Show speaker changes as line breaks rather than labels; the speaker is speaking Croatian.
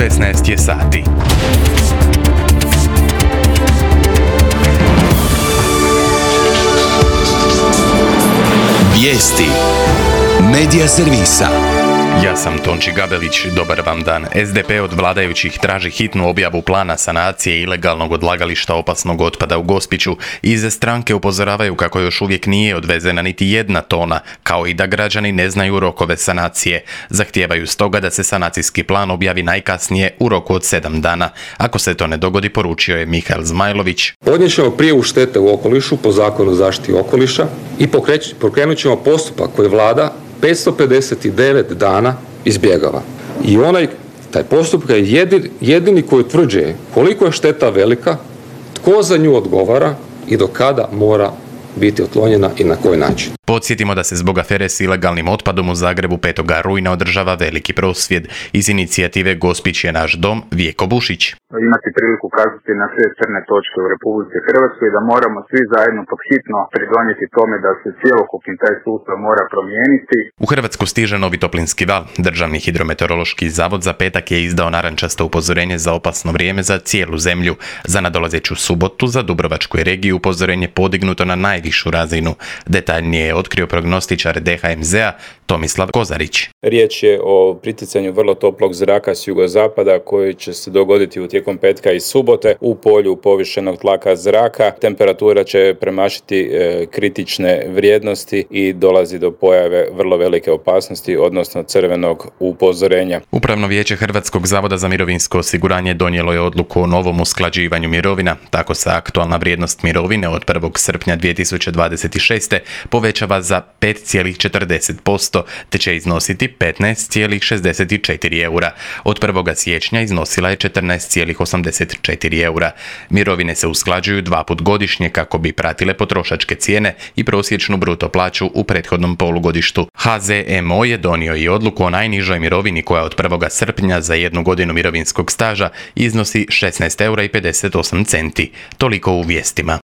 16 je sati.
Vijesti Medija servisa.
Ja sam Tonči Gabelić, dobar vam dan. SDP od vladajućih traži hitnu objavu plana sanacije ilegalnog odlagališta opasnog otpada u Gospiću. Iz stranke upozoravaju kako još uvijek nije odvezena niti jedna tona, kao i da građani ne znaju rokove sanacije. Zahtijevaju stoga da se sanacijski plan objavi najkasnije u roku od 7 dana. Ako se to ne dogodi, poručio je Mihael Zmajlović.
Podnijet ćemo prijavu štete u okolišu po Zakonu o zaštiti okoliša i pokrenut ćemo postupak koji vlada 559 dana izbjegava. I taj postupak je jedini koji utvrđuje koliko je šteta velika, tko za nju odgovara i do kada mora biti otklonjena i na koji način.
Podsjetimo da se zbog afere s ilegalnim otpadom u Zagrebu 5. rujna održava veliki prosvjed. Iz inicijative Gospić je naš dom, Vjeko Bušić.
Imati priliku ukazati na sve crne točke u Republici Hrvatskoj i da moramo svi zajedno podhitno pridonijeti tome da se cjelokupni taj sustav mora promijeniti.
U Hrvatsku stiže novi toplinski val. Državni hidrometeorološki zavod za petak je izdao narančasto upozorenje za opasno vrijeme za cijelu zemlju. Za nadolazeću subotu za Dubrovačku regiju upozorenje podignuto na najvišu razinu. Detaljnije je otkrio prognostičar DHMZ-a Tomislav Kozarić.
Riječ je o priticanju vrlo toplog zraka s jugozapada koji će se dogoditi tijekom petka i subote u polju povišenog tlaka zraka. Temperatura će premašiti kritične vrijednosti i dolazi do pojave vrlo velike opasnosti, odnosno crvenog upozorenja.
Upravno vijeće Hrvatskog zavoda za mirovinsko osiguranje donijelo je odluku o novom usklađivanju mirovina. Tako se aktualna vrijednost mirovine od 1. srpnja 2026. povećava za 5,40%, te će iznositi 15,64 eura. Od 1. siječnja iznosila je 14,84 eura. Mirovine se usklađuju 2 put godišnje kako bi pratile potrošačke cijene i prosječnu bruto plaću u prethodnom polugodištu. HZMO je donio i odluku o najnižoj mirovini koja od 1. srpnja za 1 godinu mirovinskog staža iznosi 16,58 eura. Toliko u vijestima.